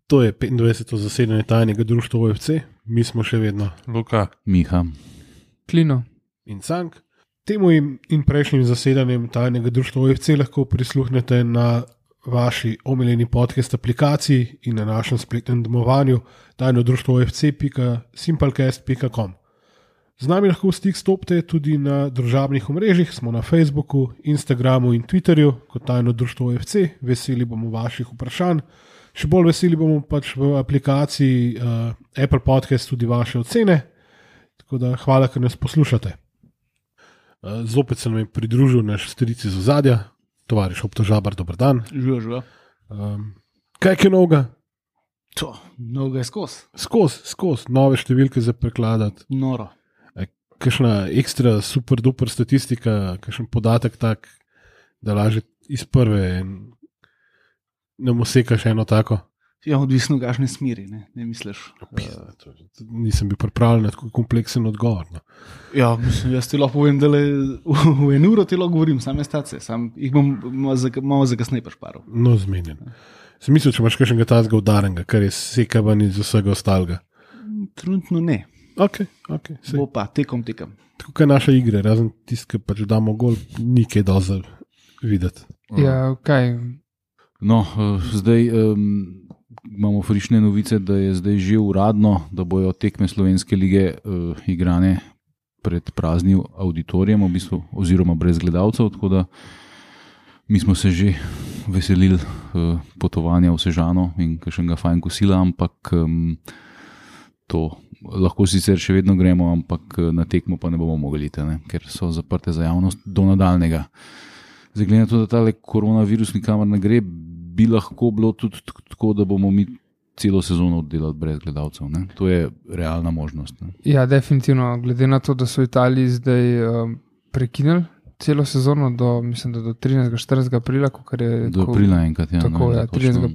To je 25. zasedanje tajnega društva OFC, mi smo še vedno Luka, Miha, Klino in Cank. Temu in prejšnjim zasedanjem tajnega društva OFC lahko prisluhnete na vaši omiljeni podcast aplikaciji in na našem spletnem domovanju tajnodruštvoofc.simplecast.com. Z nami lahko v stik stopite tudi na družabnih omrežjih, smo na Facebooku, Instagramu in Twitterju kot tajno društvo OFC, veseli bomo vaših vprašanj. Še bolj veseli bomo pač v aplikaciji Apple Podcast tudi vaše ocene, tako da hvala, ker nas poslušate. Zopet se nam je pridružil naš stric iz ozadja, tovariš Optožabar, dober dan. Živa. Kaj je novega? To, mnogo je skozi. Skozi, nove številke za prekladati. Noro. Kakšna ekstra super duper statistika, kakšen podatek tak, da laže iz prve nam osekaš eno tako. Ja, odvisno v kakšni smeri, ne misliš. Nisem bil pripravljen na tako kompleksen odgovor. No. Ja, mislim, jaz ti lahko povem, da v eno uro ti lahko govorim, same stacije, jih bom malo zakasneje pašparil. No, zmenjen. Sem mislil, če imaš kakšnega tazga udarenega, kar je sekavan iz vsega ostalega. Trenutno ne. Ok. Bo pa, tekom. Tako kot naša igra, razen tiskaj pač damo gol, ni kaj dosti videti. Ja, kaj? No, zdaj imamo frišne novice, da je zdaj že uradno, da bojo tekme Slovenske lige igrane pred praznim auditorijem, v bistvu, oziroma brez gledalcev, tako da mi smo se že veselili potovanja v Sežano in kakšnega fajn kosila, ampak to lahko sicer še vedno gremo, ampak na tekmo pa ne bomo mogli, ker so zaprte za javnost do nadaljnega. Zdaj, glede na to, da tale koronavirus nikamor ne gre, bi lahko bilo tudi tako, da bomo mi celo sezono oddelali brez gledalcev. Ne? To je realna možnost. Ne? Ja, definitivno. Glede na to, da so Italiji zdaj prekinili celo sezono do 13. 14. aprila, do aprila enkrat. Ja, tako, ja, 13.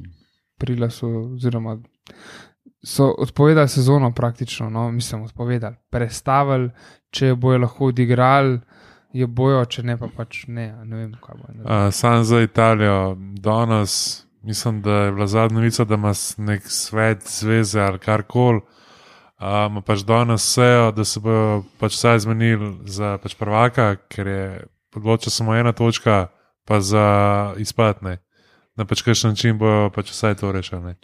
aprila so odpovedali sezono praktično, odpovedali, prestavili, če jo bojo lahko odigrali, jo bojo, če ne pa pač ne vem, kaj bo. Sam za Italijo, danes, mislim, da je bila zadnja novica, da ima nek svet zveze ali karkoli, pač danes sejo, da se bojo pač vsaj zmenili za pač prvaka, ker je odločila samo ena točka, pa za izpad, ne. Na pač kakšen način bojo pač vsaj to rešili.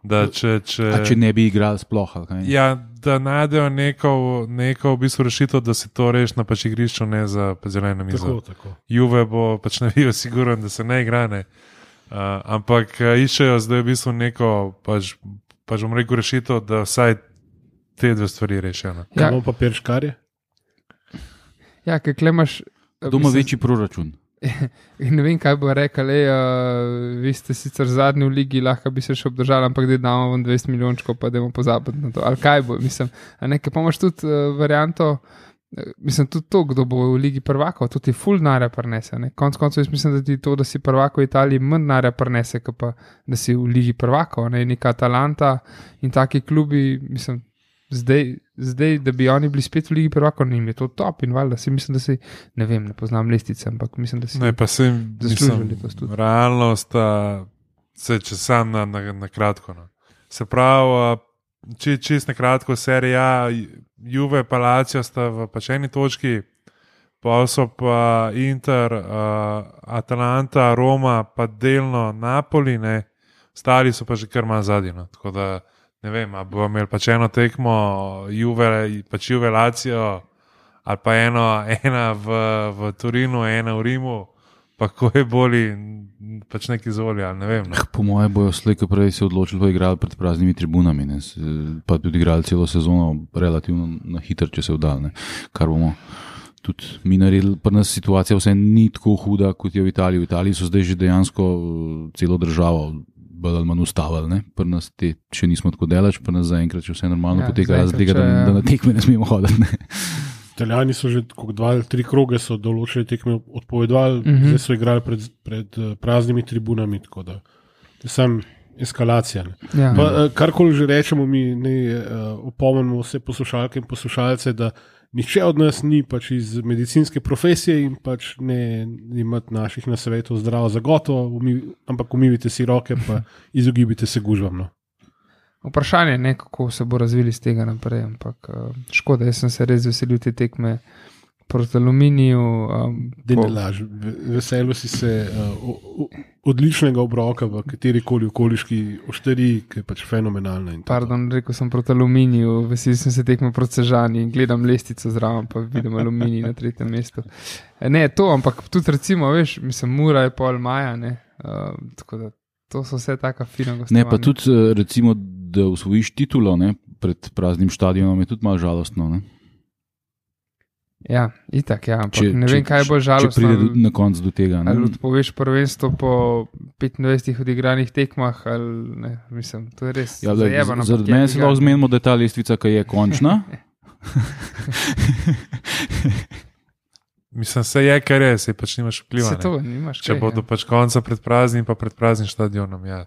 Če ne bi igrali sploh, ali kaj? Ja, da najdejo neko v bistvu rešitev, da se to reši na pač igrišču, ne za zeleno mizo. Tako. Juve bo pač navijo siguren, da se ne igra, ne. Ampak iščejo zdaj v bistvu neko pač bom rekel rešitev, da vsaj te dve stvari rešijo. Kaj imamo papir škarje? Ja, kaj klemaš... Doma večji proračun. Ne vem, kaj bo rekel, vi ste sicer zadnji v ligi, lahko bi se še obdržali, ampak da damo vam 20 milijončkov, pa da bomo pozabiti na to. Ali kaj bo, nekaj pa imaš tudi varianto, tudi to, kdo bo v ligi prvakov, to ti ful denarja prinese. Konec koncev jaz mislim, da ti to, da si prvak v Italiji, manj denarja prinese, kot pa da si v ligi prvakov, neka Atalanta in taki klubi, Zdaj, da bi oni bili spet v ligi prvakov, njim je to top in valjda si mislim, da si, ne vem, ne poznam listice, ampak mislim, da si zaslužili to tudi. Realnost, če sam na kratko. No. Se pravi, čist na kratko, serija Juve pa Lazio sta v pač eni točki, pa so pa Inter, Atalanta, Roma, pa delno Napoli, ne, stari so pa že kar manj zadnji, no. Tako da ne vem, ali bomo imeli pač eno tekmo Juve Lazio ali pa ena v Turinu, ena v Rimu, pa ko je boli pač neki zvoli, ali ne vem. Ne. Po moje bojo slejko prej se odločili, da igrali pred praznimi tribunami, ne. Pa tudi igrali celo sezono relativno na hitro, če se vdal, kar bomo tudi mi naredili. Pri nas situacija vse ni tako huda, kot je v Italiji. V Italiji so zdaj že dejansko celo državo bolj ali manj ustavili, pri nas še nismo tako delač, pri nas zaenkrat še vse normalno poteka, razen tega, da na tekme ne smemo hoditi. Italijani so že 2 ali 3 kroge so določene tekme odpovedovali, zdaj so igrali pred praznimi tribunami, tako da je sam eskalacija. Ja. Karkoli že rečemo, mi opomnimo vse poslušalke in poslušalce, da nihče od nas ni pač iz medicinske profesije in pač ne imati naših nasvetov zdravo za gotovo, ampak umivite si roke pa izogibite se gužvam. No. vprašanje je, kako se bo razvili z tega naprej. Ampak škoda, jaz sem se res veselil te tekme proti Aluminiju. Veselil si se odličnega obroka v katerikoli okoliški ošteriji, ki je pač fenomenalna. Pardon, rekel sem proti Aluminiju, veselil sem se tekme proti Sežani in gledam lestvico zraven, pa vidim Aluminij na 3. mestu. Ne, to, ampak tudi recimo, veš, mislim, Mura je pol maja, ne, tako da to so vse taka fina gostovanja. Ne, pa tudi recimo, da osvojiš titulo, ne, pred praznim štadionom je tudi malo žalostno, ne. Ja, itak, ja, ampak ne vem, kaj bo žalostno. Če pride na konc do tega. Ali odpoveš prvenstvo po 25 odigranih tekmah, ali ne, mislim, to je res zajebano. Zaradi mene se lahko zmenimo, da je ta lestvica, ki je končna. Mislim, se je, kar je, se pač nimaš vpliva. Se to nimaš. Če bodo pač konca pred praznim, pa pred praznim štadionom, ja.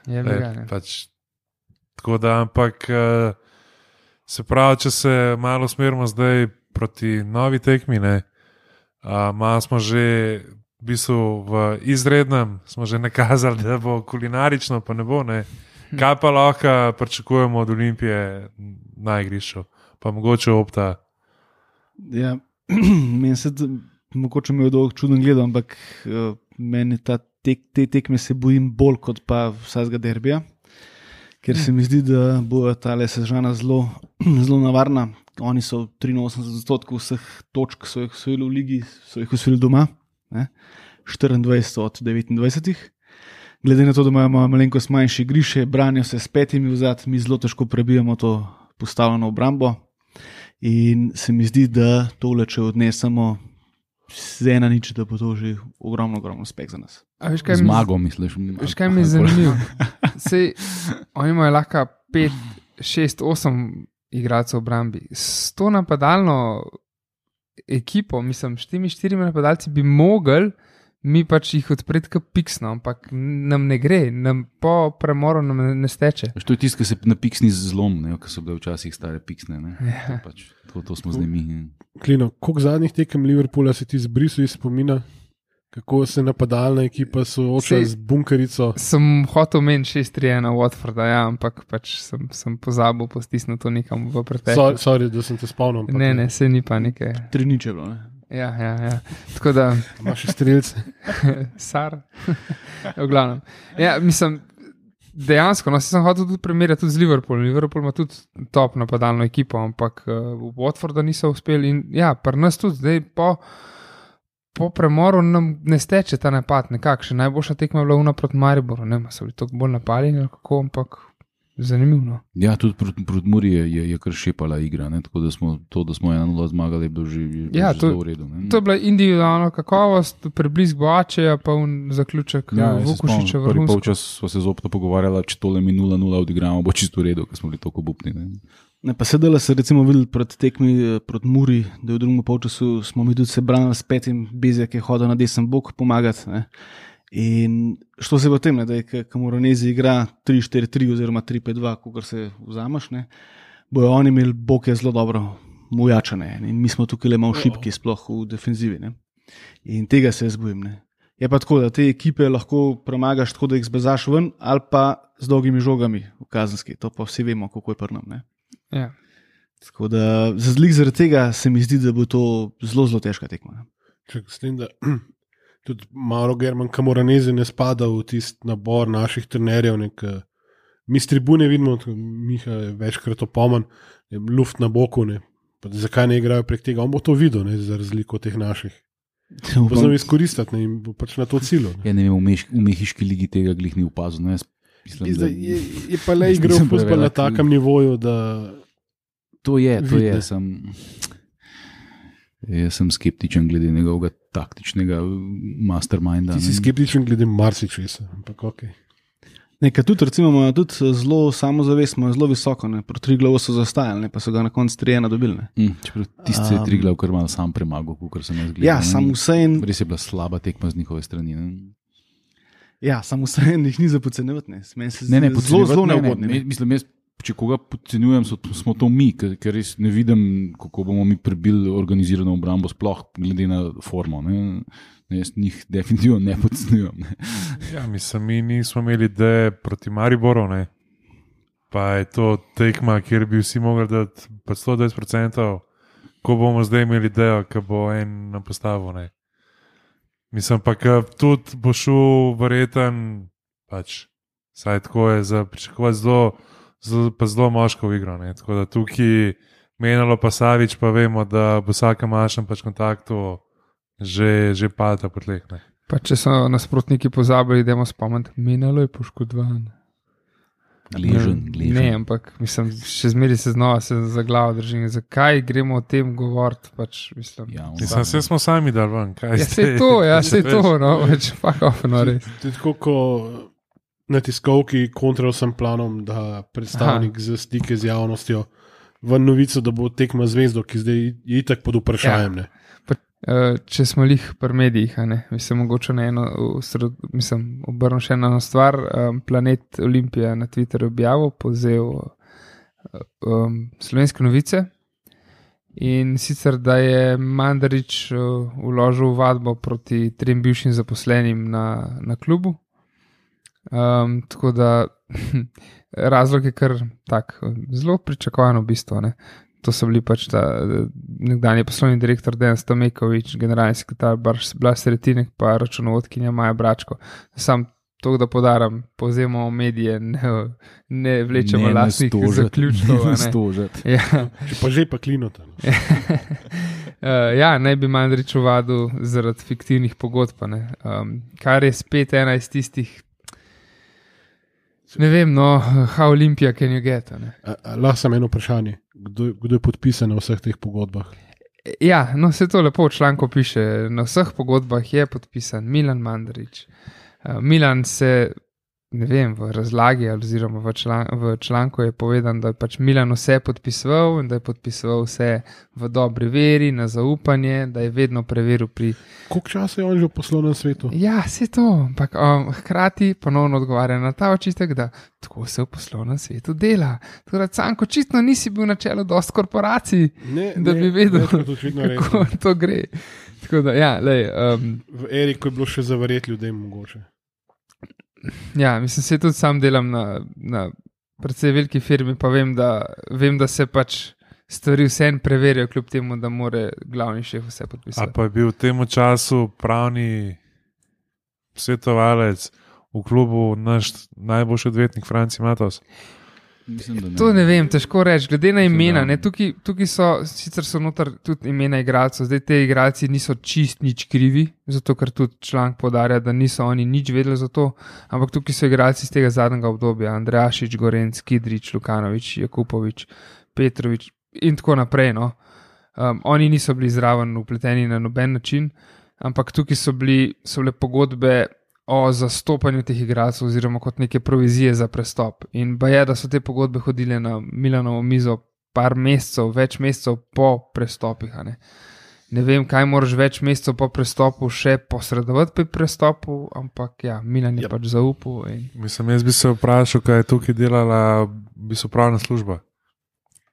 Je vegan. Pač, tako da, ampak se pravi, če se malo smerimo zdaj proti novi tekmi, ne, malo smo že v bistvu v izrednem, smo že nakazali, da bo kulinarično, pa ne bo, ne. Kaj pa lahko pričakujemo od Olimpije na igrišču, pa mogoče Opta? Ja, meni se mogoče mi je dolgo čuden gledal, ampak meni te tekme se bojim bolj kot pa vsakega derbija, ker se mi zdi, da bo ta Sežana zelo navarna. Oni so 83% vseh točk, so jih osvojili v ligi, so jih osvojili doma, ne? 24 od 29. Glede na to, da imamo malenkost manjše igrišče, branijo se s 5 vzad, mi zelo težko prebijemo to postavljeno obrambo. In se mi zdi, da tole, če odnesemo z 1-0, da bo to že ogromno uspeh za nas. Zmago, misliš? Veš, kaj mi je zanimivo? Sej, oni imajo lahko 5, 6, 8 igralcev v obrambi. S to napadalno ekipo, mislim, s temi 4 napadalci bi mogli mi pač jih odpreti kot piksno, ampak nam ne gre, nam po premoru nam ne steče. To je tisto, ki se na piksni zlom, ki so bile včasih stare piksne. Ja. To smo zdaj mi. Klino, koliko zadnjih tekem Liverpoola se ti zbrisal iz spomina? Kako se napadalna ekipa sooča z bunkerico? Sem hotel meniti 6-3-1 Watforda, ja, ampak pač sem pozabil postisniti to nekam v preteklost. Sorry, da sem te spomnil. Ne, se ni pa nekaj. 3-0 je bilo, ne? Ja. Tako da... Imaš strelce. Sar. V glavnem. Ja, mislim, dejansko, sem hotel tudi primerjati tudi z Liverpoolom. Liverpool ima tudi top napadalno ekipo, ampak v Watforda niso uspeli in ja, pri nas tudi zdaj po premoru nam ne steče ta napad nekakšen. Najboljša tekma je bila una proti Mariboru, ne, so bili toliko bolj napaljeni, kako, ampak zanimivo. Ja, tudi proti Muri je kar šepala igra, ne, tako da smo 1-0 zmagali, je bilo že zelo v redu. Ne. To je bila individualna kakovost, preblisk Boačeja, pa zaključek Vukušiča vrhunsko. Prvi polčas smo se zopet pogovarjali, če tole mi 0-0 odigramo, bo čisto v redu, ker smo bili toliko obupni. Ne, pa sedela se recimo videli pred tekmi proti Muri, da v drugem polčasu smo mi tudi se branili s 5, Bezjak je hodil na desen bok pomagati. Ne. In što se v tem, da je Camoranesi igra 3-4-3 oziroma 3-5-2, kot se vzameš, ne, bojo oni imeli boke zelo dobro mujačane in mi smo tukaj le malo šibki, sploh v defenzivi. Ne. In tega se jaz bojim. Ne. Je pa tako, da te ekipe lahko premagaš tako, da jih zbezaš ven ali pa z dolgimi žogami v kazenski. To pa vsi vemo, kako je pri nam. Ne. Ja. Tako da zaradi tega se mi zdi, da bo to zelo težka tekma. S tem, da tudi malo German Camoranesi ne spada v tisti nabor naših trenerjev. Mi s tribune vidimo, Miha je večkrat opomen, luft na boku, zakaj ne igrajo prek tega. On bo to videl, za razliko od teh naših. Bo znam izkoristiti in bo pač na to cilju. Ja, ne vem, v mehiški ligi tega glih ni opazil. Mislim, je pa le igral fuzbol na takem nivoju, da... To je. Jaz sem skeptičen glede njegovega taktičnega masterminda. Ti si skeptičen glede marsičesa, ampak ok. Nekaj tudi, recimo, imajo tudi zelo samozavest, imajo zelo visoko, proti Triglavu so zastajali, pa so ga na koncu 3-1 dobili. Čeprav tisti je Triglav kar malo sam premagal, kot sem jaz gledal. Ja, samo vsejen... Res je bila slaba tekma z njihove strani. Ja, samo vsejen jih ni za podcenjevati. Ne, zelo neugodni. Mislim, če koga podcenjujem, smo to mi, ker res ne vidim, kako bomo mi prebili organizirano obrambo, sploh glede na formo. Jaz njih definitivno ne podcenjujem. Ja, mislim, mi nismo imeli ideje proti Mariboru. pa je to tekma, kjer bi vsi mogli dati 120%, ko bomo zdaj imeli idejo, ki bo en na postavu. Ne. Mislim pa, da tudi bo šel verjeten, pač, saj tako je za pričakovati zelo moško v igro. Ne. Tako da tukaj Menalo pa Savič, pa vemo, da bo vsakem mašem pač kontaktu že pada po tleh. Ne. Pa če so nasprotniki pozabili, idemo spomniti, Menalo je poškodovan. Gležen. Ne, ampak mislim, še zmeraj se znova za glavo držim. Zakaj gremo o tem govoriti? Pač, mislim, Vse smo sami dal ven. se to, no, več pakofno res. To je tako, ko na tiskovki kontra vsem planom, da predstavnik za stike z javnostjo v novico, da bo tekma zvezdo, ki zdaj je itak pod vprašanjem. Ne. Če smo lih pri medijih, mislim, mogoče na eno, obrnil še eno stvar. Planet Olimpija na Twitterju objavil, povzel Slovenske novice in sicer, da je Mandarić vložil vadbo proti 3 bivšim zaposlenim na klubu. Tako da razlog je kar tak, zelo pričakovan v bistvu, ne. To so bili pač nekdanji poslovni direktor Dejan Stamekovič, generalni sekretar Blas Retinek, pa računovodkinja Maja Bračko. Sam to, da podaram, povzemamo medije, ne vlečemo lastnih zaključkov. Ja. Pa že pa klinota. Ja, naj bi Mandarić vadil zaradi fiktivnih pogodb, kar je spet ena iz tistih. Ne vem, no, how Olympia can you get? Lahko samo eno vprašanje. Kdo je podpisan na vseh teh pogodbah? Ja, no, se to lepo v članku piše. Na vseh pogodbah je podpisan Milan Mandarić. Milan se, ne vem, v razlagi oziroma v članku je povedan, da je pač Milan vse podpisoval in da je podpisoval vse v dobri veri, na zaupanje, da je vedno preveril pri... Koliko časa je on že v poslovnem svetu? Ja, se to, ampak hkrati ponovno odgovarja na ta očitek, da tako se v poslovnem svetu dela. Tako da, Canko, očitno nisi bil na čelu dosti korporacij, da bi vedel, kako to gre. Tako da, ja, lej... V eri, ko je bilo še zavarjeti ljudem mogoče. Ja, mislim, se tudi sam delam na precej veliki firmi, pa vem, da se pač stvari vsem preverijo, kljub temu, da mora glavni šef vse podpisati. A pa je bil v tem času pravni svetovalec v klubu naš najboljši odvetnik Franci Matos? To ne vem, težko reči, glede na imena. Tukaj sicer so noter tudi imena igralcev, zdaj te igralci niso čist nič krivi, zato ker tudi članek podarja, da niso oni nič vedeli za to, ampak tukaj so igralci iz tega zadnjega obdobja, Andrejašič, Gorenc, Kidrič, Lukanovič, Jakupovič, Petrovič in tako naprej. No. Oni niso bili zraven vpleteni na noben način, ampak tukaj so bile pogodbe o zastopanju teh igralcev oziroma kot neke provizije za prestop. In je, da so te pogodbe hodile na Milanovo mizo par mesecev, več mesecev po prestopih. Ne vem, kaj moraš več mesecev po prestopu še posredovati pri prestopu, ampak ja, Milan je pač zaupal. Mislim, jaz bi se vprašal, kaj je tukaj delala pravna služba.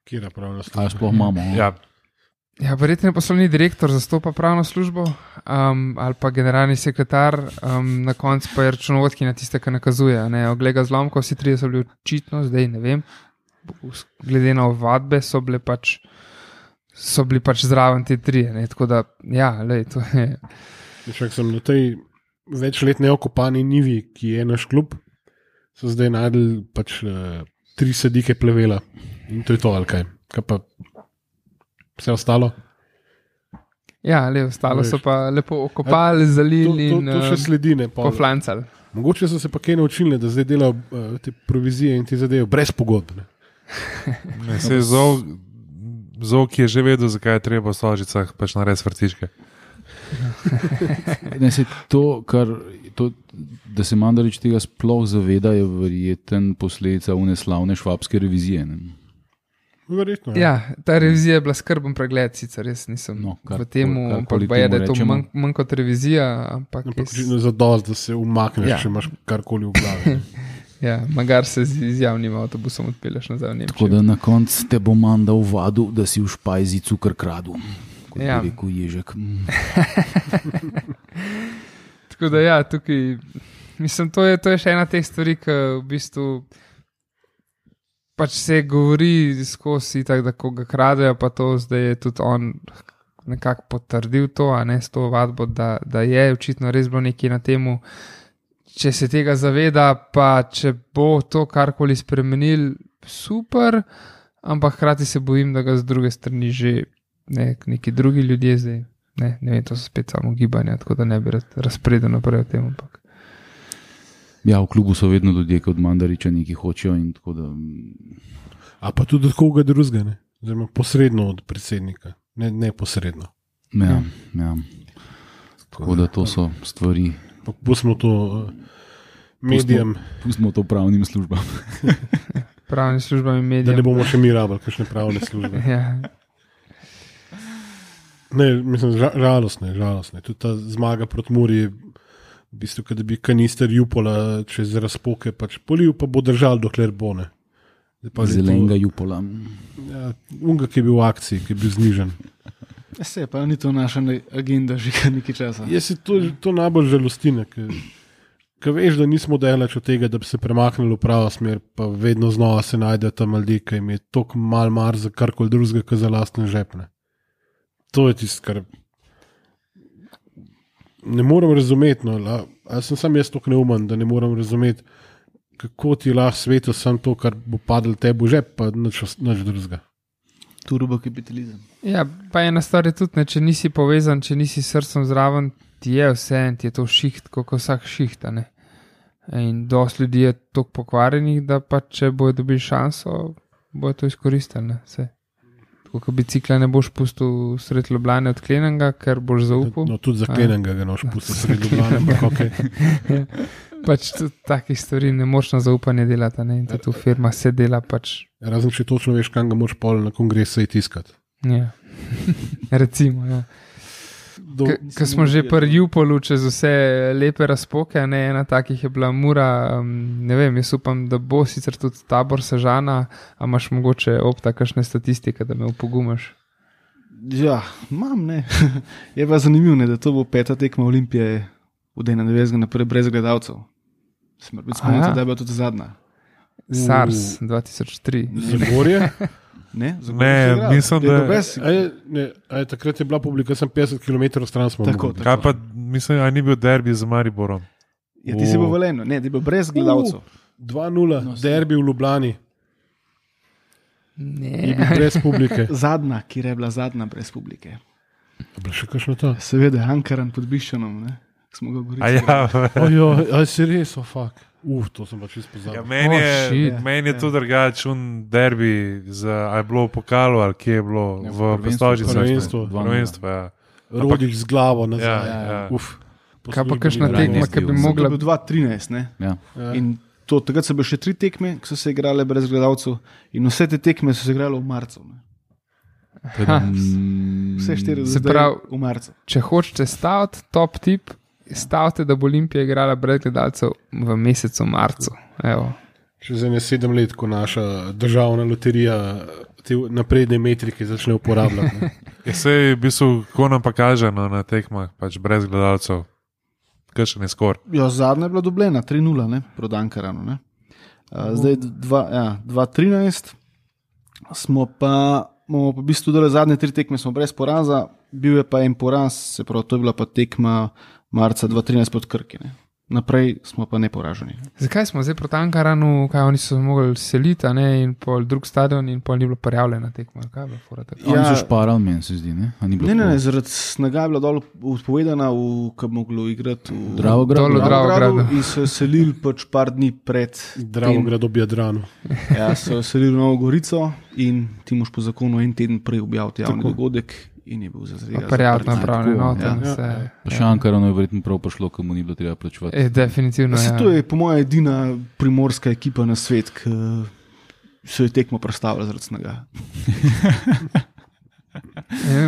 Kjera pravna služba? A sploh imamo? Ja, verjetno poslovni direktor zastopa pravno službo ali pa generalni sekretar, na koncu pa je računovodkinja tiste, ki nakazuje. Ogleda zlomkov, vsi trije so bili očitno, zdaj ne vem, glede na ovadbe so bili pač zraven te trije. Tako da, ja, lej, to je... Však sem na tej večletne okopani nivi, ki je naš klub, so zdaj najdel pač 3 sadike plevela in to je to, ali kaj. Kaj pa vse ostalo? Ja, ostalo so pa lepo okopali, zalili in to še sledi, ne, poflancali. Mogoče so se pa kaj naučili, da zdaj delajo te provizije in te zadeve brez pogodb. Zok je že vedel, zakaj je treba v Stožicah pač narediti vrtičke. Da se Mandarić tega sploh zaveda, je verjeten posledica uneslavne švabske revizije. Ne? Verjetno, ja, ta revizija je bila skrben pregled, sicer res nisem v tem, ampak je, da je to manj kot revizija. Ampak za dost, da se umakneš, če imaš karkoli v glavi. Ja, magar se z javnim avtobusom odpelješ nazaj v Nemčijo. Tako da na koncu te bo Manda uvadil, da si v špajzi cukr kradu, kot je rekel Ježek. Tako da ja, tukaj, mislim, to je še ena teh stvari, ki v bistvu pač se govori skozi tako, da ko ga kradejo, pa to zdaj je tudi on nekako potrdil to, a ne s to vadbo, da je očitno res bilo nekaj na temu. Če se tega zaveda, pa če bo to karkoli spremenil, super, ampak hkrati se bojim, da ga z druge strani že neki drugi ljudje zdaj, ne vem, to so spet samo gibanja, tako da ne bi razpredel naprej o tem, ampak. Ja, v klubu so vedno ljudje, ki od Mandariča nekaj hočejo in tako da. A pa tudi od koga drugega, ne? Zdaj, posredno od predsednika, ne posredno. Ja. Tako da to so stvari. Pustimo to medijem. Pustimo to pravnim službam. Pravnim službam in medijem. Da ne bomo še mi rabili, kakšne pravne službe. Ja. Ne, mislim, žalostne. Tudi ta zmaga proti Muri je v bistvu, da bi kanister Jupola čez razpoke pač polil, pa bo držal, dokler bo ne. Zelenega Jupola. Ja, unga, ki je bil v akciji, ki je bil znižen. Se pa ni to naša agenda že nekaj časa. Jaz si to najbolj žalostine, ker veš, da nismo daleč od tega, da bi se premaknili v pravo smer, pa vedno znova se najde ta maldi, ki jim je toliko mal mar za karkoli drugega, kot za lastne žepne. To je tisto, kar ne morem razumeti. No, ali sem sam jaz tako neumen, da ne morem razumeti, kako ti lahko svetu sam to, kar bo padlo tebi v žep, pa nič drugega. Turbo kapitalizem. Ja, pa ena stvar je tudi, če nisi povezan, če nisi srcem zraven, ti je vse, ti je to šiht, kot vsak šiht. In dosti ljudi je toliko pokvarjenih, da pa če bojo dobili šanso, bojo to izkoristili. Tako kot bicikla ne boš pustil sred Ljubljane odklenenega, ker boš zaupal. No, tudi zaklenenega ga noš pustil sred Ljubljane, ampak ok. Pač tudi takih stvari ne moš na zaupanje delati, in tudi v firma se dela pač. Razen, če točno veš, kam ga moš pol na kongresu tiskati. Ja, recimo, ja. Ko smo že pri Jupolu čez vse lepe razpoke, ena takih je bila Mura, ne vem, jaz upam, da bo sicer tudi Tabor Sežana, a imaš mogoče opta kakšne statistike, da me upogumaš? Ja, imam, ne. Je pa zanimivo, da to bo 5. tekma Olimpije v 91. naprej brez gledalcev. Se mora biti spomniti, da je bila tudi zadnja. SARS 2003. Zagorje? Ne, mislim, da takrat je bila publika, sem 50 km stran smo. Tako. Kaj pa, mislim, ni bil derbi z Mariborom? Ja, ti si bil Velenju, ne, ti bil brez gledalcev. 2-0, derbi v Ljubljani. Ne. Brez publike. Zadnja, kjer je bila zadnja brez publike. Bila še kakšno to? Seveda, Ankaran pod Bišćanom, ne. Smo ga govorili. Aj si res, fuck. To sem pač izpozabil. Ja, meni je to drugačen derbi, a je bilo v pokalu ali kje je bilo v Postožici. Prvenstvo, ja. Rodih z glavo nazaj. Ja. Kaj pa kakšna tekma, ki bi mogla... To je bil 2013, ne? Ja. In takrat so bile še 3 tekme, ki so se igrale brez gledalcev in vse te tekme so se igrale v marcu. Vse 4 v marcu. Če hočete staviti, top tip, stavite, da bo Olimpija igrala brez gledalcev v mesecu marcu. Evo. Čez 7 let, ko naša državna loterija te napredne metrike začne uporabljati. Sej v bistvu, ko nam pa kaže na tekmah, pač brez gledalcev, kakšen je skor? Ja, zadnja je bila dobljena, 3-0, proti Ankaranu. Zdaj 2-13 smo pa v bistvu dole zadnje 3 tekme smo brez poraza, bil je pa en poraz, se pravi, to je bila pa tekma marca 2013 pod Krki. Naprej smo pa neporaženi. Zakaj smo zdaj proti Ankaranu, kaj oni so mogli seliti, in pol drug stadion in pol ni bilo prijavljena tekma? Kaj je bilo fora tako? Oni so šparali, meni se zdi, ne? Ne, zaradi snega je bila dol odpovedana, ko bi moglo igrati v Dravogradu. In so selili pač par dni pred Dravograd ob Jadranu. Ja, so selili v Novo Gorico in ti moš po zakonu en teden prej objaviti javni dogodek. In je bil za zdaj. Prijatno pravno. Še Ankarano je verjetno prav prišlo, ko mu ni bilo treba plačevati. Definitivno. To je po mojem edina primorska ekipa na svet, ki se je tekmo predstavila zaradi snega.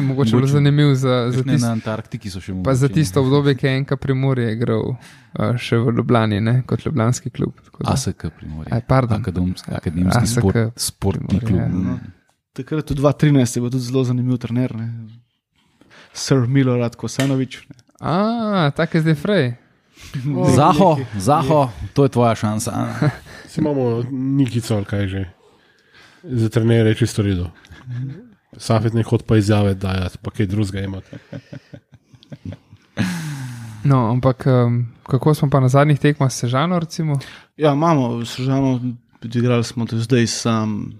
Mogoče bilo zanimivo na Antarktiki so še pa za tisto obdobje, ki je enka Primorje igral še v Ljubljani, kot ljubljanski klub. ASK Primorje. Akademski sportni klub. Takrat v 2013 je bil tudi zelo zanimiv trener, Sir Milorad Kosanovič. Tak je zdaj Frej. Zaho, to je tvoja šansa. Si imamo Nikico, ali kaj že. za trenere je čisto redo. Safet ne hod pa izjave dajati, pa kaj drugega imati. No, ampak kako smo pa na zadnjih tekmah s Sežano, recimo? Ja, imamo Sežano, igrali smo do zdaj sam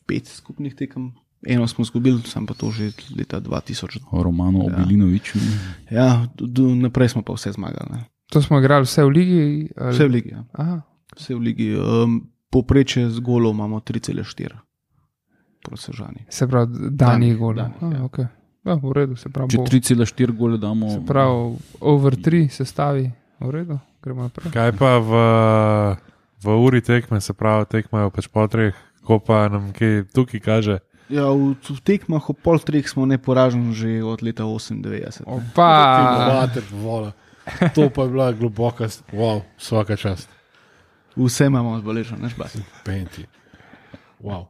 5 skupnih tekem. Eno smo izgubili, sam pa to že leta 2000. Romano Obilinovič. Ja, naprej smo pa vse zmagali. Ne. To smo igrali vse v ligi? Ali? Vse v ligi, ja. Aha. Vse v ligi. Poprečje z golov imamo 3,4 proti Sežani. Se pravi, danih golov. Danih, ja. Okay. Ja, v redu, se pravi. Če 3,4 gole damo. Se pravi, over 3 se stavi, v redu, gremo naprej. Kaj pa v uri tekme, se pravi, tekmajo pač po 3, ko pa nam kaj tukaj kaže? Ja, v tekmah o pol 3 smo neporaženi že od leta 98. Opa! To pa je bila globoka, wow, vsaka čast. Vse imamo zbeleženo, neš basi. Penti. Wow.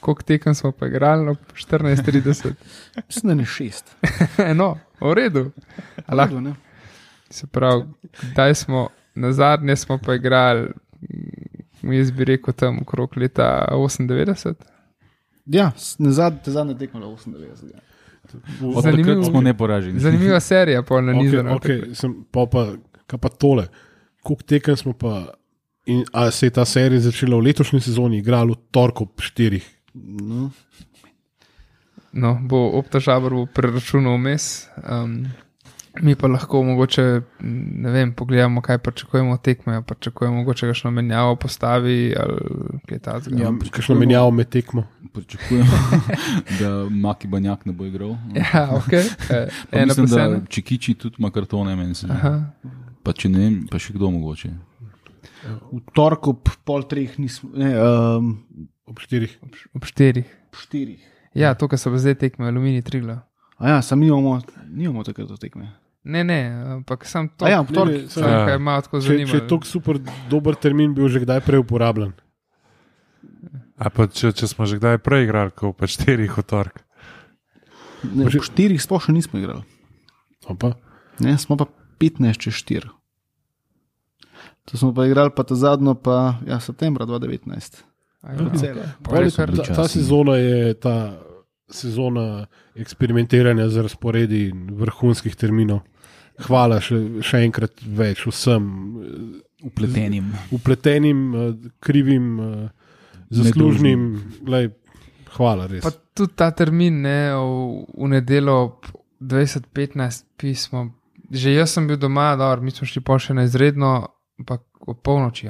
Koliko tekem smo pa igrali? No, 14:30. Mislim, da ne 6. No, v redu. Ne? Se pravi, kdaj smo, na zadnje smo pa igrali, jaz bi rekel tam okrog leta 98. Ja, zadnje tekmo je 98. Zanimivo. Smo neporaženi. Zanimiva serija, pol nanizana. Kaj pa tole? Koliko tekem smo pa, a se je ta serija začela v letošnji sezoni, igrali v torku 4? No, bo Opta-Žabor bo preračunal vmes. Mi pa lahko mogoče, ne vem, pogledamo, kaj pričakujemo od tekme, pričakujemo mogoče kakšno menjavo postavi ali kaj takega. Ja, kakšno menjavo med tekmo. Pričakujemo, da Maki Banjak ne bo igral. Ja, ok. Mislim, da Čikiči tudi ima kartone, meni se. Pa če ne vem, pa še kdo mogoče. V torku ob pol 3 nismo, ne, ob 4. Ob 4. 4. Ja, to, kar so zdaj tekme, Aluminij Triglav. A ja, sam nimamo takrat do tekme. Ne, ampak sam to. Ja, v torek. Kaj ima tako zanimivo. Če je tako super dober termin, bil že kdaj prej uporabljen. A pa če smo že kdaj prej igrali, ko pa 4 v torek. Ne, po 4 sploh še nismo igrali. Opa. Ne, smo pa 15 čez 4. To smo pa igrali pa ta zadnjo pa, ja, septembra 2019. Ta sezona je ta sezona eksperimentiranja z razporedi vrhunskih terminov. Hvala še enkrat več vsem upletenim, krivim, zaslužnim. Hvala res. Pa tudi ta termin, ne, v nedeljo ob 20:15 pismo. Že jaz sem bil doma, mi smo šli pa še na izredno, ampak ob polnoči.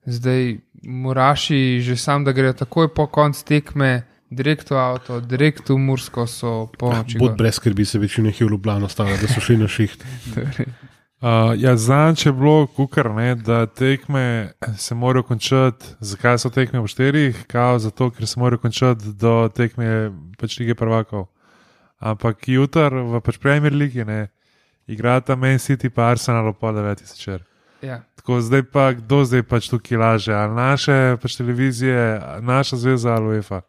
Zdaj Muraši že sam, da gre takoj po konc tekme, direkt v avto, direkt v Mursko so polnoči. Bod brez skrbi, se večino jih je v Ljubljano stalo, da so šli na šiht. Ja, zanj je bilo kukar, ne, da tekme se morajo končati. Zakaj so tekme v 4? Zato, ker se morajo končati do tekme pač Lige prvakov. Ampak jutr v pač Premier Ligi ne igrata Man City pa Arsenal ob 9:30 zvečer. Ja. Tako zdaj pa, kdo zdaj pač tukaj laže? Ali naše pač televizije, naša zveza ali UEFA?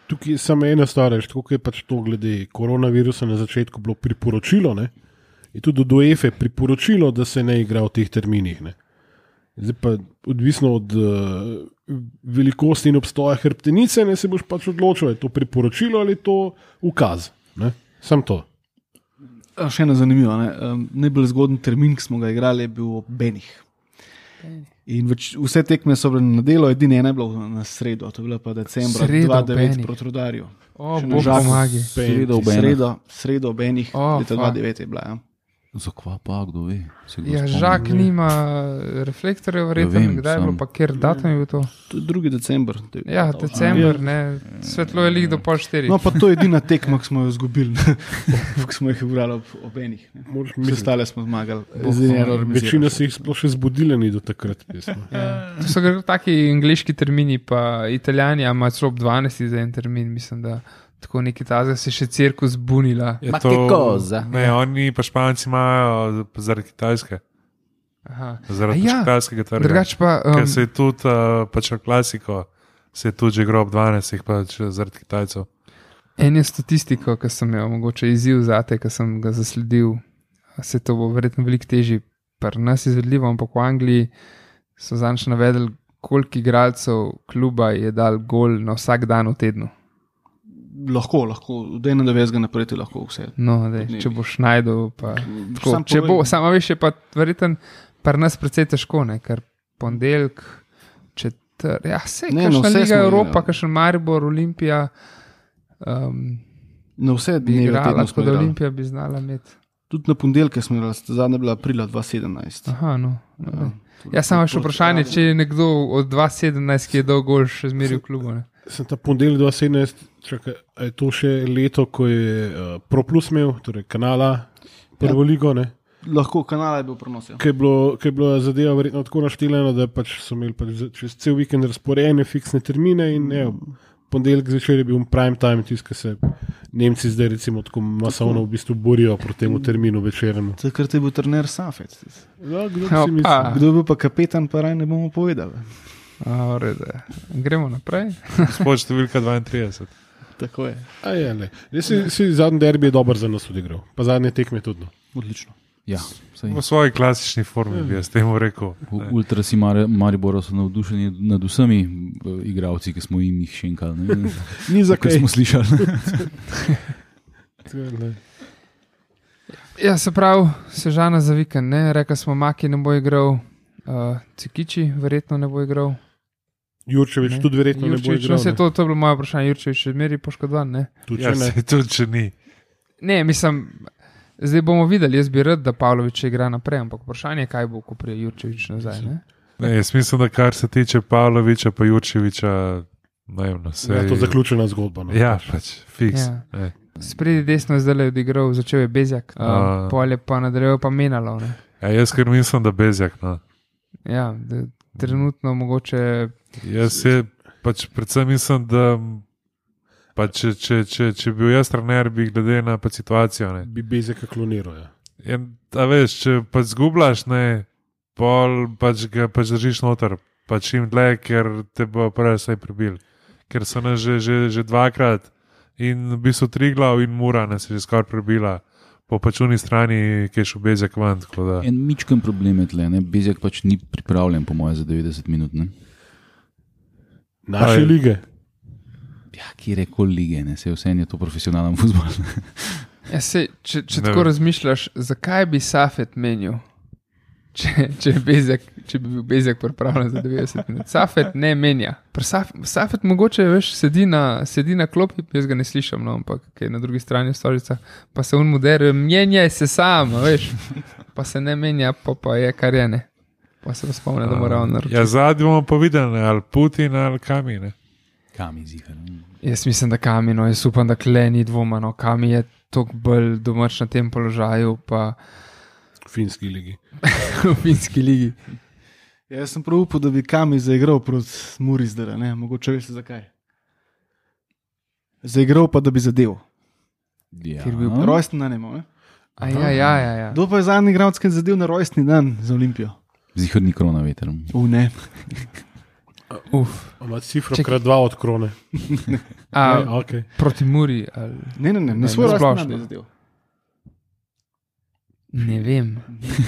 Tukaj je samo ena stvar, tako je pač to glede koronavirusa na začetku bilo priporočilo, ne? Je tudi do UEFA priporočilo, da se ne igra v teh terminih. Ne? Zdaj pa odvisno od velikosti in obstoja hrbtenice, ne, se boš pač odločil, je to priporočilo ali je to ukaz. Sam to. Še ena zanimiva. Najbolj zgoden termin, ki smo ga igrali, je bil ob Benih. In vse tekme so bile na nedeljo, edina ena je bila na sredo, to je bila pa decembra 2009 proti Rudarju. Bog pomagi. Sredo ob Benih, leta 2009 je bila. Ja. Zakva pa, kdo ve? Ja, Žak nima reflektorjev, verjetno, kdaj je bilo, pa kjer datum je bil to? To je 2. december. Ja, december, ne, svetlo je lig do 3:30. No, pa to je edina tekma, ki smo jo izgubili, ki smo jih igrali ob Benih. Vse ostale smo zmagali. Večina se jih sploh še zbudila ni do takrat. To so taki angliški termini, pa Italijani imajo celo ob 12 za en termin, mislim, da tako neki tazga se še cirkus bunila. Ma che cosa? Ne, oni pa Španci imajo zaradi Kitajske. Zaradi kitajskega trga. Drugač pa... Ker se je tudi, pač v klasiko, se je tudi že grob 12, pač zaradi Kitajcev. En je statistiko, ki sem jo mogoče izziv zate, ki sem ga zasledil, se to bo verjetno veliko težji pri nas izvedljivo, ampak v Angliji so zanj navedeli, koliko igralcev kluba je dal gol na vsak dan v tednu? Lahko, od 91 naprej ti lahko vse. No, če boš najdel, pa tako, če bo, samo veš, je pa verjetno pri nas precej težko, ne, ker ponedeljek, vse, kakšna Liga Evropa, kakšen Maribor, Olimpija, na vse bi dneve igrala, tedna tako smo da igrali. Olimpija bi znala imeti. Tudi na ponedeljke smo igrali, zadnja bila aprila 2017. Aha, no. Samo še vprašanje, če je nekdo od 2017, ki je dal gol, še zmeri v klubu. Ne? Sem ta ponedeljek 2017, čakaj, a je to še leto, ko je Pro Plus imel, torej kanala, prvo ligo, ne? Lahko kanala je bil prenos. Ja. Ker je bilo zadeva verjetno tako naštelena, da pač so imeli pač čez cel vikend razporejene fiksne termine in ponedeljek zvečer je bil prime time, tisti, ki se Nemci zdaj recimo tako masovno v bistvu borijo proti temu terminu večernemu. Takrat je bil trener Safet. Ja, kdo bi si mislil? Kdo je bil pa kapetan, pa raj ne bomo povedali. Gremo naprej. Gospod številka 32. Tako je. Si zadnji derbi je dober za nas odigral, pa zadnje tekme tudi. No. Odlično. Ja, V svoji klasični formi bi jaz temu rekel. Ultrasi Maribora so navdušeni nad vsemi igralci, ki smo jim jih šenkali. Ni za kaj. Smo slišali. Ja, se pravi, Sežana za vikend, ne? Rekli smo, Maki ne bo igral, Cikiči verjetno ne bo igral. Jurčevič tudi verjetno ne bo igral. To je bilo moje vprašanje, Jurčevič še zmeri poškodovan, ne? Tudi če ni. Ne, mislim, zdaj bomo videli, jaz bi rad, da Pavlović igra naprej, ampak vprašanje je, kaj bo, ko prije Jurčevič nazaj, ne? Ne, jaz mislim, da kar se tiče Pavlovića pa Jurčeviča, naivno se... Ja, to je zaključena zgodba. No, ja, pač, fiks. Ja. Spredi desno je zdaj odigral, začel je Bezjak, pol je pa nadaljeval pa Menalov, ne? Ja, jaz ker mislim, da Bezjak, no. Ja, trenutno mogoče... Jaz pač predvsem mislim, da pa če bil jaz trener, bi glede na pa situacijo, ne. Bi Bezjaka kloniral, ja. A veš, če pa zgubljaš, ne, pol pač ga pač držiš noter, pač čim dlje, ker te bo prvi vsaj prebil. Ker so nas že dvakrat in v bistvu Triglav in Mura nas je že skoraj prebila. Po pačuni strani, ki je šel Bezjak ven. En mičken problem je tle, ne? Bezjak pač ni pripravljen, po moje, za 90 minut. Ne? Naše lige. Ja, kjerkoli lige, ne? Se vse je to profesionalen fuzbol. Ja, če tako razmišljaš, zakaj bi Safet menil, če bi bil Bezjak pripravljen za 90 minut? Safet ne menja. Safet mogoče veš, sedi na klopi, jaz ga ne slišam, no, ampak je na drugi strani stolica, pa se on moderuje, menjaj se sam, veš, pa se ne menja, pa je kar je, ne. Pa se spomne, da mora on naročiti. Ja, zadnji bomo pa videli, ali Putin ali Kami, ne. Kami zihar. Jaz mislim, da Kami, no, jaz upam, da kle ni dvoma, no, Kami je toliko bolj domač na tem položaju, pa V finski ligi. v finski ligi. Ja, jaz sem prav upal, da bi Kami zaigral proti Muri zdaj, ne, mogoče veste zakaj. Zaigral pa, da bi zadev. Ja. Ker bi bil rojstni dan imel, ne. Ja. Kdo pa je zadnji igralec, ki je zadev na rojstni dan za Olimpijo? Zihar ni krona veter. Ne. Ima cifro krat 2 od krone. Okay. Proti Muri ali... Ne svoj rojstni dan je zadev. Ne vem.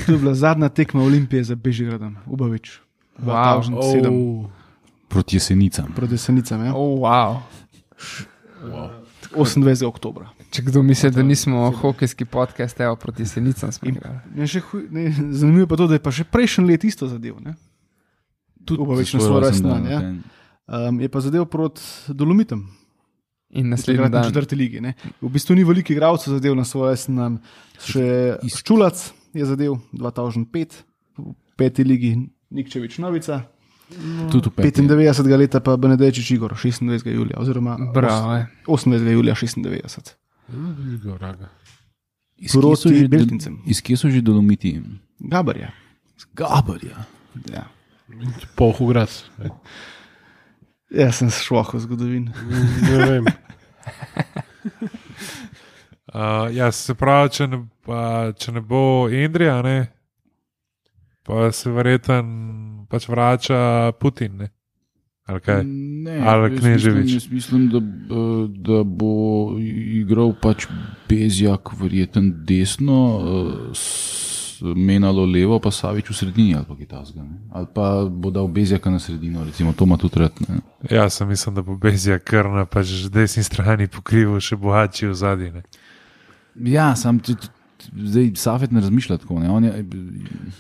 To je bila zadnja tekma Olimpije za Bežigradom, Ubavič. 2007. Proti Jesenicam. Proti Jesenicam, ja. Wow. 28. oktobra. Če kdo misli, da nismo hokejski podcast, evo, proti Jesenicam smo igrali. Zanimivo pa to, da je pa še prejšnji let isto zadev, ne? Tudi Ubavič na svoj rojstni dan, ja. Je pa zadev proti Dolomitom. In naslednji dan. V 4. ligi, ne. V bistvu ni veliko igralcev zadev na svoj rojstni dan. Še Ščulac je zadev 2005, v 5. ligi Nikčevič Novica. Tudi v 95. leta pa Benedejčič Igor, 26. julija, oziroma 28. julija 96. Proti Beltincem. Iz kje so že Dolomiti? Gabarja. Gabarja. Ja. Polhograd. Jaz sem šloh v zgodovini. Ne vem. Ja, se pravi, če ne bo Indrija, ne, pa se verjetno pač vrača Putin, ne? Ali kaj? Ne, ali Kneževič? Jaz mislim, da bo igral pač Bezjak verjetno desno, menalo levo, pa Savič v sredini ali pa Kitajska. Ali pa bo dal Bezjaka na sredino, recimo, to ima tudi rad. Ne? Ja, sem mislim, da bo Bezjak kar na pač desni strani pokrival še bohatši v zadnji. Ja, sam zdaj Safet ne razmišlja tako. Ne?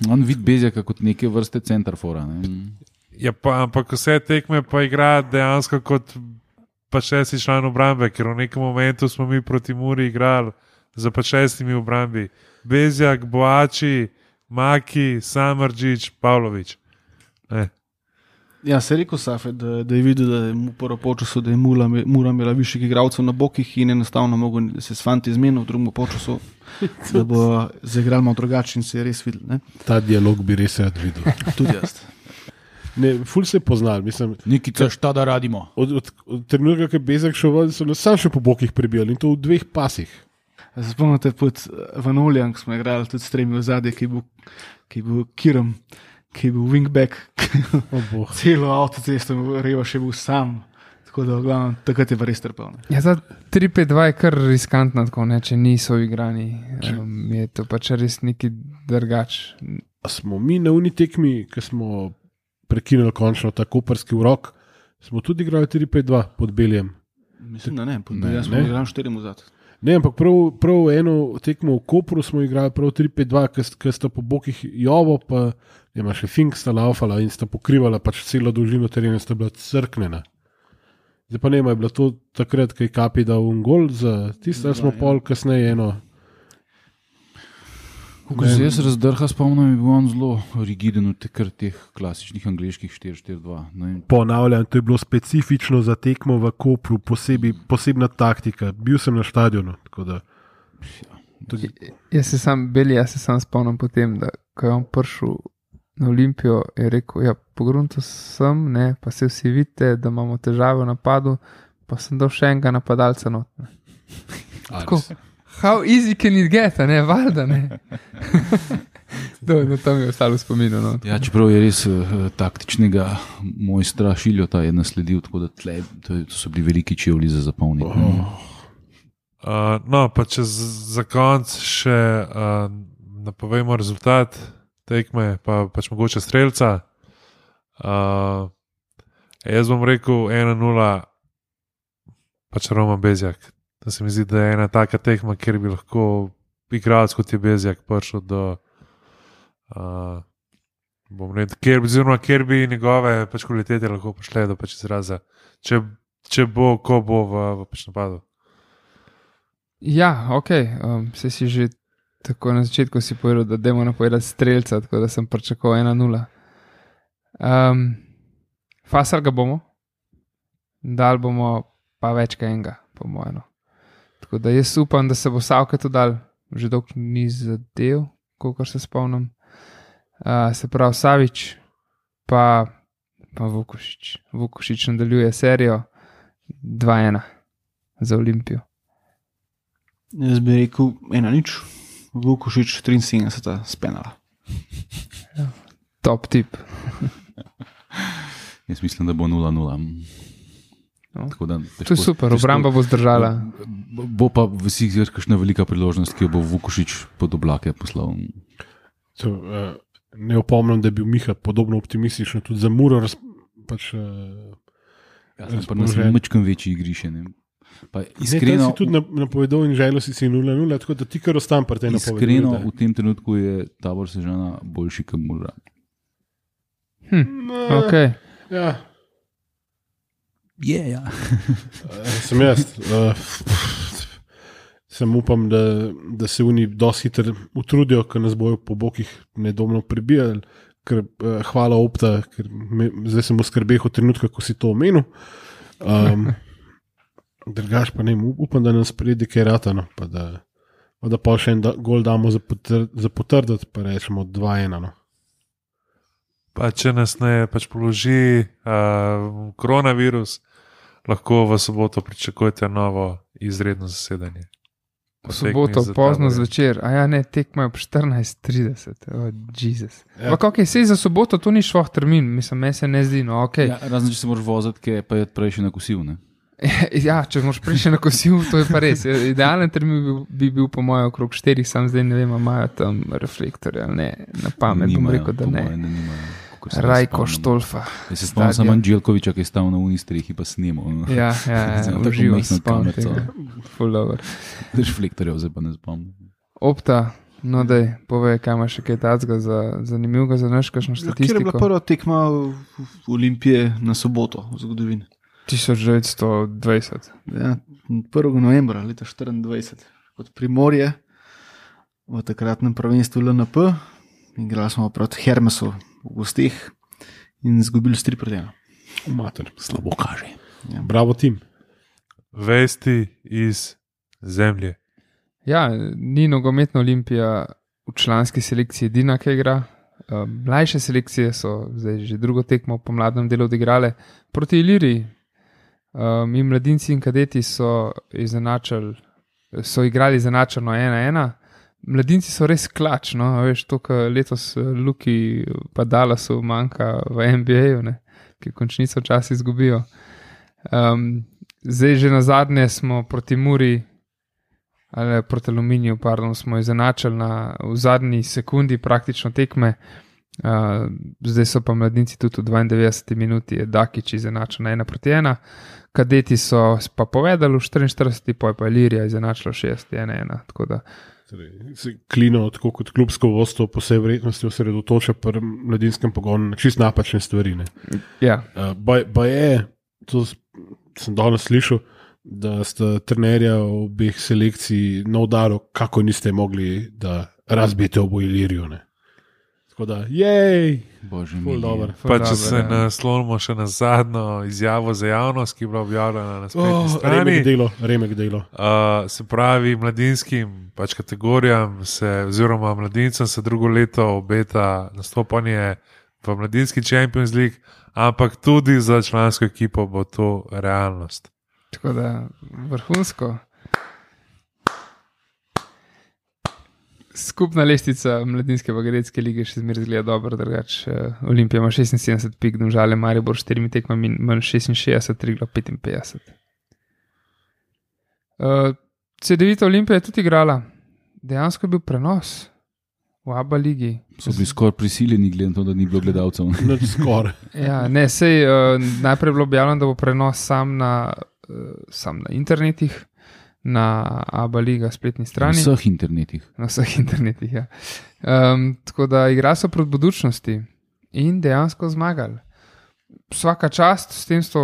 On vidi Bezjaka kot neke vrste centrafora. Ne? Ja, ampak vse tekme pa igra dejansko kot pa 6. član obrambe, ker v nekem momentu smo mi proti Muri igrali za pa 6 obrambi. Bezjak, Boači, Maki, Samardžić, Pavlović. Ja, se je rekel Safet, da je videl, da je mu prvo počasu, da je Mura imela višjih igralcev na bokih in enostavno mogel se s fanti zmenil v drugem počasu, da bo zaigral malo drugače in se je res videl. Ne? Ta dialog bi res rad videl. Tudi jaz. Ne, ful se je poznal, mislim. Nekaj šta da radimo. Od trenutka, ko je Bezjak šel ven, so nas sam še po bokih prebijali in to v 2 pasih. Spomnite pod Vanolijan, ko smo igrali tudi s 3 v zadnje, ki je bil Kiram, ki je bil wingback, celo avtocesto rejo še bil sam. Tako da, glavno, takrat je pa res trpel. Ja, za 3-5-2 je kar riskantno, tako, ne, če niso igrani. Je to pač res neki drugač. Smo mi na uni tekmi, ki smo prekinili končno ta koperski urok, smo tudi igrali 4-5-2 pod Beljem. Mislim, da ne, pod Beljem smo igrali 4 v zadnje. Ne, ampak prav eno tekmo v Kopru smo igrali prav 3-5-2, ker sta po bokih Jovo, pa ima še Fink sta laufala in sta pokrivala pač celo dolžino terena, sta bila crknjena. Zdaj pa nema, je bilo to takrat, ko je Kapi dal un gol za tisto, da smo pol kasneje eno. Ko se jaz razdrha spomnim, je bil on zelo rigiden v teh klasičnih angliških 4-4-2. Ponavljam, to je bilo specifično za tekmo v Kopru, posebna taktika. Bil sem na stadionu. Jaz se sam spomnim potem, da ko je on prišel na Olimpijo, je rekel, ja, pogrunto sem, ne, pa se vsi vidite, da imamo težave v napadu, pa sem dal še enega napadalca not. Tako. How easy can it get, ne, valjda, ne. No, tam je ostalo v spominu. No. Ja, čeprav je res taktičnega mojstra Šiljota je nasledil, tako da to so bili veliki čevlji za zapolniti. No, pa če za konc še napovemo rezultat tekme, pa pač mogoče strelca. Jaz bom rekel 1-0, pač Roman Bezjak. Da se mi zdi, da je ena taka tekma, kjer bi lahko igralec kot je Bezjak prišel do kjer bi njegove pač kvalitete lahko prišle do pač izraza, če bo, ko bo v pač napadu. Ja, ok, se si že tako na začetku si povedal, da dajmo napovedati strelca, tako da sem pričakoval 1-0. Fasal ga bomo, dal bomo pa več kaj enega, po mojem. Tako da jaz upam, da se bo Savke to dal, že dolgo ni zadev, kolikor se spomnim. Se pravi Savič, pa Vukušić. Vukušić nadaljuje serijo 2-1 za Olimpijo. Jaz bi rekel 1-0, Vukušić 73 spenala. Ja, top tip. Jaz mislim, da bo 0-0. No. To je super, obramba bo zdržala. Bo pa vsi kakšna velika priložnost, ki jo bo Vukušić pod oblake poslal. Ne opomnim, da je bil Miha podobno optimističen tudi za Muro. Pa nas je mačkem večji igriše. Iskreno si tudi napovedal in želel si 0-0, tako da ti kar ostam pri tej napovedi. Iskreno v tem trenutku je Tabor Sežana boljši kot Mura. Ok. Ja. Yeah. Sem jaz. Sem upam, da se oni dosti hitro utrudijo, ker nas bojo po bokih nedomno prebijali, ker hvala Opta, ker zdaj sem v skrbeh od trenutka, ko si to omenil. Drugač pa ne, upam, da nas pride kaj ratano, pa da pa še en gol damo za potrditi, pa rečemo 2-1. No. Pa če nas ne pač položi koronavirus, lahko v soboto pričakujete novo izredno zasedanje. V soboto pozno zvečer, a ja ne, tekma je ob 14:30, Jezus. Ja. Ok, sej za soboto to ni šloh termin, mislim, meni se ne zdi, no ok. Ja, razen, če se moraš voziti, pa je prej še nakosil, ne? Ja, če moraš priti na kosil, to je pa res. Idealen termin bi bil po mojem okrog 4, sam zdaj ne vem, imajo tam reflektorje ali ne, na pamet bom rekel, da ne. Rajko Štolfa. Jaz se spomnim samo Anđelkoviča, ki je stal na uni strehi pa snimal. Ja, uživo spomnim tega. Full over. Reflektorjev zdaj pa ne spomnim. Opta, no daj, povej, kaj imaš še kaj tacga zanimivega za naš kakšno statistiko. Kjer je bila prva tekma v Olimpije na soboto v zgodovini? 1920. Ja, 1. novembra leta 1924, kot Primorje v takratnem prvenstvu LNP. Igrali smo proti Hermesu v gostih in izgubili s 3-1. Mater, Slabo kaže. Ja. bravo tim. Vesti iz zemlje. Ja, ni nogometna Olimpija v članski selekciji edina, ki igra. Mlajše selekcije so zdaj že drugo tekmo po mladem delu odigrale proti Iliriji. In mladinci in kadeti so igrali izenačeno 1-1. Mladinci so res klač, no, veš, to, kar letos Luki pa Dallasu manjka v NBA-ju, ne, ki končnico včasih izgubijo. Zdaj že na zadnje smo proti Muri, ali proti Aluminiju, smo izenačili v zadnji sekundi praktično tekme. Zdaj so pa mladinci tudi v 92 minuti, je Dakič izenačil na 1-1. Kadeti so pa povedali v 44, pa je pa Ilirija izenačila 6-1, tako da. Klino, tako kot klubsko vodstvo, po vsej verjetnosti osredotoča pri mladinskem pogonu na čist napačne stvari. Ja. Ba je, to sem danes slišal, da sta trenerja obeh selekcij na udaru, kako niste mogli, da razbijete obo Ilirijo. Tako da, jej, Bože ful moj. dober. Pa če se naslonimo še na zadnjo izjavo za javnost, ki je bila objavljena na spletni strani. Remek delo. Se pravi, mladinskim pač kategorijam oziroma mladincem se drugo leto obeta nastopanje v mladinski Champions League, ampak tudi za člansko ekipo bo to realnost. Tako da vrhunsko. Skupna lestvica mladinske bagretske lige še zmeraj zgleda dobro, drugače Olimpija ima 76 pik, Domžale Maribor 4 tekmami manj 66, Triglav 55. CD-vita Olimpija je tudi igrala. Dejansko je bil prenos v ABA ligi. So bili skoraj prisiljeni, glede na to, da ni bilo gledalcev. Ja, ne, sej najprej je bilo objavljeno, da bo prenos sam na internetih, na ABA liga spletni strani. Na vseh internetih. Na vseh internetih, ja. Tako da igra so proti Budućnosti in dejansko zmagali. Vsaka čast, s tem so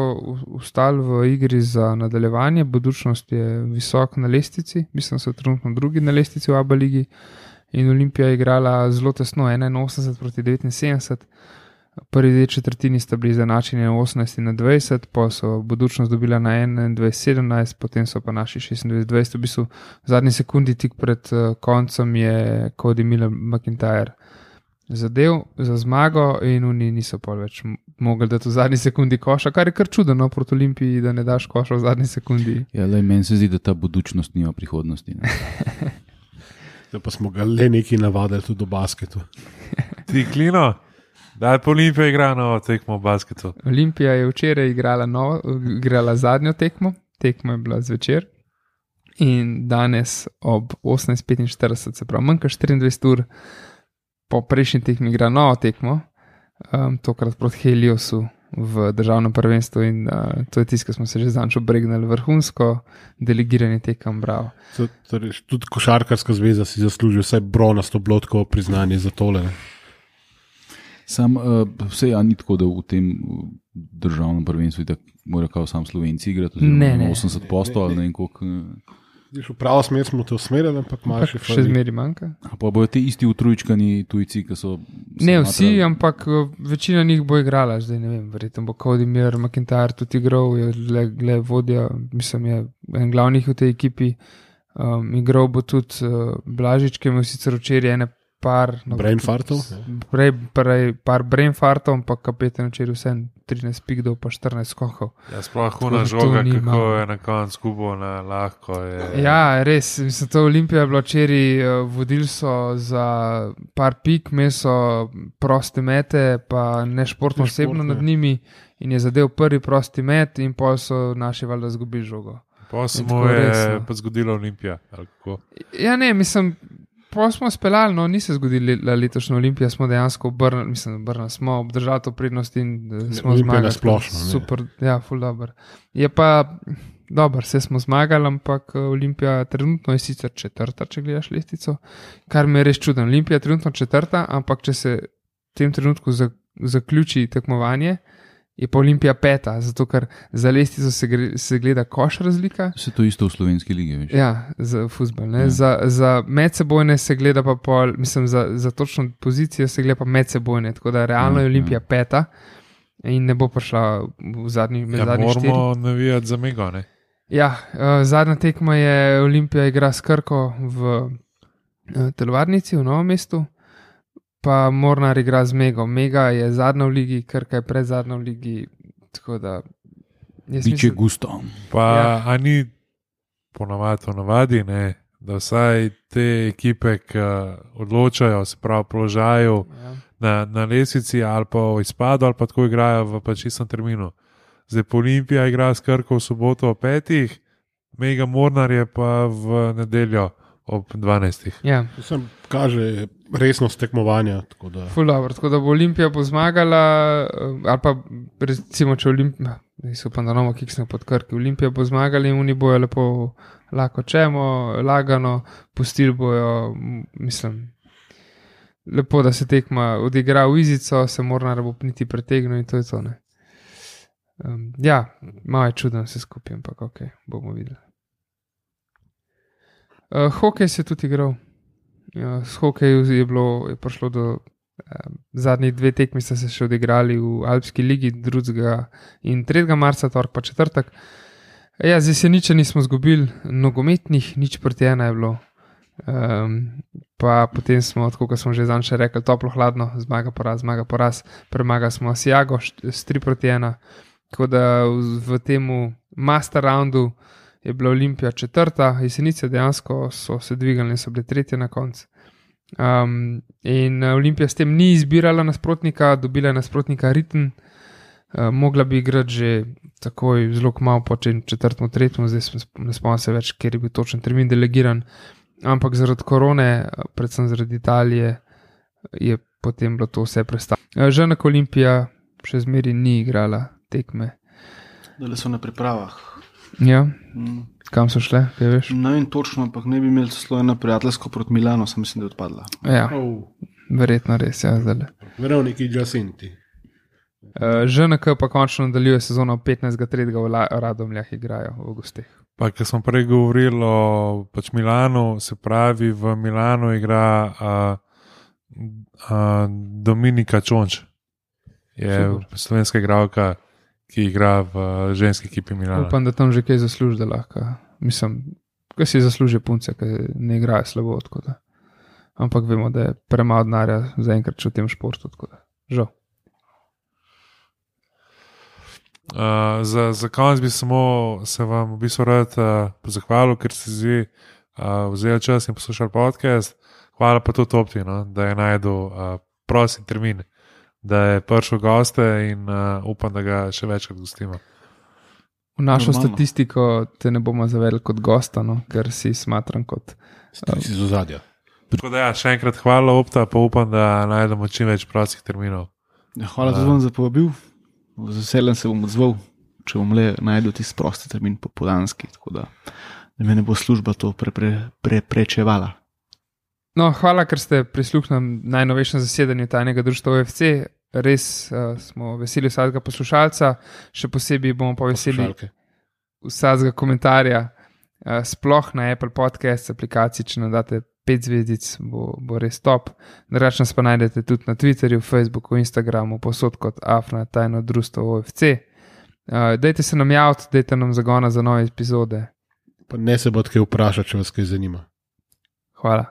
ostali v igri za nadaljevanje. Budućnost je visok na lestvici, mislim, da so trenutno drugi na lestvici v ABA ligi in Olimpija je igrala zelo tesno 81 proti 79. Prvi dve četrtini sta bili izenačeni na 18-20, pa so Budućnost dobila na 21-17, potem so pa naši 26-20. V bistvu v zadnji sekundi tik pred koncem je Cody Miller McIntyre zadev za zmago in oni niso pa več mogli dati v zadnji sekundi koša, kar je kar čudno proti Olimpiji, da ne daš koša v zadnji sekundi. Ja, le meni se zdi, da ta Budućnost nima prihodnosti. Da pa smo ga le neki navadili tudi v basketu. Ti Klino, daj pa Olimpija igra novo tekmo v basketu. Olimpija je včeraj igrala zadnjo tekmo, tekmo je bila zvečer in danes ob 18:45, se pravi manj kot 24 ur po prejšnji tekmi igra novo tekmo, tokrat proti Heliosu v državnem prvenstvu in to je tisto, ki smo se že zanjšo bregnali, vrhunsko delegiranje tekem, bravo. Torej, tudi košarkarska zveza si zasluži vsaj bronasto blotkovo priznanje za tole. Sam vse ni tako, da v tem državnem prvenstvu mora kao sam Slovenci igrati, ne. 80% ali ne vem koliko. V pravo smer smo te usmerili, ampak malo še zmeri manjka. Pa bojo ti isti utrujčkani tujci, ki so... Ne vsi, ampak večina njih bo igrala, zdaj ne vem, verjetno bo Cody Miller McIntyre tudi igral, je vodja, mislim, je en glavnih v tej ekipi. Igral bo tudi Blažič, ki je imel sicer včeraj ene par Brainfartov. par brainfartov, pa kapetan včeraj vsem 13 pikdov, pa 14 skokov. Ja, sploh huna Tako da to žoga, ni kako malo. je na koncu kubo, lahko je. Ja, res, mislim, to Olimpija je bila včeraj, vodili so za par pik, meso proste mete, pa nešportno osebno nad njimi in je zadev prvi prosti met in pol so naši valjda zgubili žogo. Pa se In mu tako je res, no. pa zgodila Olimpija. Ali kako? Ja, ne, mislim, pol smo speljali, no, ni se zgodila letošnja Olimpija, smo dejansko obrnili, smo obdržali to prednost in smo Olimpija zmagali. nasplošno, ne. Super, ja, ful dobro. Je pa, dobro, vse smo zmagali, ampak Olimpija trenutno je sicer četrta, če gledaš lestvico, kar mi je res čudno. Olimpija je trenutno četrta, ampak če se v tem trenutku zaključi tekmovanje, je pa Olimpija peta, zato ker za lestvico se gleda koš razlika. Se to isto v slovenski ligi, veš. Ja, za futbol. Ja. Za medsebojne se gleda pa pol, mislim, za točno pozicijo se gleda pa medsebojne, tako da realno je Olimpija peta in ne bo prišla v zadnjih Ja, moramo navijati za Mego, ne? Ja, zadnja tekma je Olimpija igra s Krko v telovadnici v Novem mestu, pa Mornar igra z Mego. Mega je zadnja v ligi, Krka je pred zadnja v ligi, tako da Biče gusto. Pa Ja. a ni ponavadi, ne, da vsaj te ekipe, ki odločajo, se pravi, položajo na lestvici ali pa v izpadu, ali pa tako igrajo v pač istem terminu. Zdaj pa Olimpija igra s Krko v soboto ob 5, Mega Mornar je pa v nedeljo ob 12. Ja. Sem kaže resnost tekmovanja. Tako da. Ful dobro, tako da bo Olimpija bo zmagala, ali pa recimo, če Olimpija, upam, da novo kiksne pod Krki, Olimpija bo zmagala in oni bojo lepo lahko čemo, lagano, pustili bojo, mislim, lepo, da se tekma odigra v izico, se Mornar bo niti pretegnil in to je to, ne. Ja, malo je čudno vse skupaj, ampak ok, bomo videli. Hokej se je tudi igral. Ja, s hokejem je prišlo do zadnjih 2 tekmi, sta se še odigrali v Alpski ligi 2. in 3. marca, torek pa četrtek. Ja, z Jeseničani smo zgubili nogometnih, 0-1 je bilo. Pa potem smo, tako kot smo že zanj še rekli, toplo hladno, zmaga poraz, premagali smo Asiago s 3-1. Tako da v temu master roundu je bila Olimpija četrta, Jesenice dejansko so se dvigali in so bile tretje na koncu. In Olimpija s tem ni izbirala nasprotnika, dobila je nasprotnika Ritem, mogla bi igrati že takoj zelo malo po četrtem, tretjem, zdaj ne spomnim se več, ker je bil točen termin delegiran, ampak zaradi korone, predvsem zaradi Italije, je potem bilo to vse prestavljeno. Žena Olimpija še zmeri ni igrala tekme. Da so na pripravah. Ja, kam so šle, kaj veš? Ne vem točno, ampak ne bi imeli celo eno prijateljsko proti Milano, sem mislim, da je odpadla. Ja, verjetno res, ja, zdaj. Veroniki Giacinti. ŽNK pa končno nadaljuje sezono 15.3. v Radomljah igrajo v gosteh. Pa, ker smo prej govorili o pač Milanu, se pravi, v Milanu igra Dominika Čonč. Je slovenska igralka, ki igra v ženski ekipi Milana. Upam, da tam že kaj zasluži, da lahko. Mislim, kaj si zasluži punce, ki ne igrajo slabo, tako da. Ampak vemo, da je premalo denarja zaenkrat v tem športu, tako da. Žal. Za konec bi samo se vam v bistvu rad zahvalil, ker ste zdaj vzeli čas in poslušali podcast. Hvala pa tudi Opti, no, da je najdel prosti termin, da je prišel goste in upam, da ga še večkrat gostimo. V našo Normalno. statistiko te ne bomo zavedli kot gosta, no, ker si smatram kot. Si z ozadja. Tako da ja, še enkrat hvala Opta, pa upam, da najdemo čim več prostih terminov. Ja, hvala tudi vam za povabil. Z veseljem se bom odzval, če bom le najdel tisti prosti termin popoldanski, tako da me ne bo služba to preprečevala. No, hvala, ker ste prisluhnili najnovejšem zasedanju tajnega društva OFC. Res smo veseli vsakega poslušalca, še posebej bomo pa veseli vsakega komentarja, sploh na Apple Podcast aplikaciji, če nam date 5 zvezdic, bo res top. Drugače nas pa najdete tudi na Twitterju, Facebooku, Instagramu, posod kot Afna tajno društvo OFC. Dajte se nam javiti, dajte nam zagona za nove epizode. Pa ne se bo kaj vprašati, če vas kaj zanima. Hvala.